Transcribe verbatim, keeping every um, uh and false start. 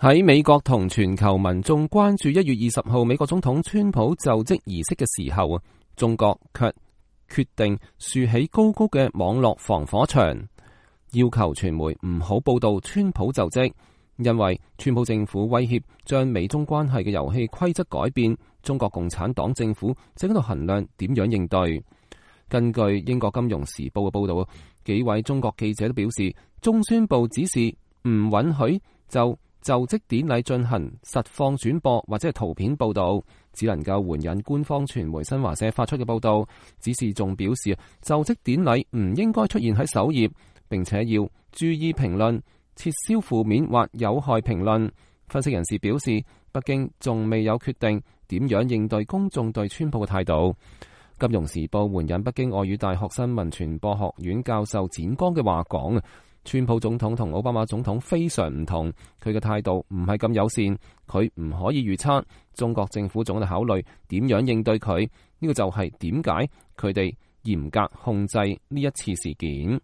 喺美國同全球民眾關注一月二十號美國總統川普就職儀式嘅時候啊，中國卻決定豎起高高嘅網絡防火牆，要求傳媒唔好報道川普就職，因為川普政府威脅將美中關係嘅遊戲規則改變，中國共產黨政府正喺度衡量點樣應對。根據英國金融時報嘅報道，幾位中國記者都表示，中宣部指示唔允許就就職典禮進行實況轉播或者係圖片報道，只能夠援引官方傳媒新華社發出嘅報道。指示仲表示，就職典禮唔應該出現喺首頁，並且要注意評論，撤銷負面或有害評論。分析人士表示，北京仲未有決定點樣應對公眾對川普嘅態度。金融時報援引北京外語大學新聞傳播學院教授展剛嘅話講，川普總統同奧巴馬總統非常唔同，佢嘅態度唔係咁友善，佢唔可以預測中國政府總喺度考慮點樣應對佢，呢個就係點解佢哋嚴格控制呢一次事件。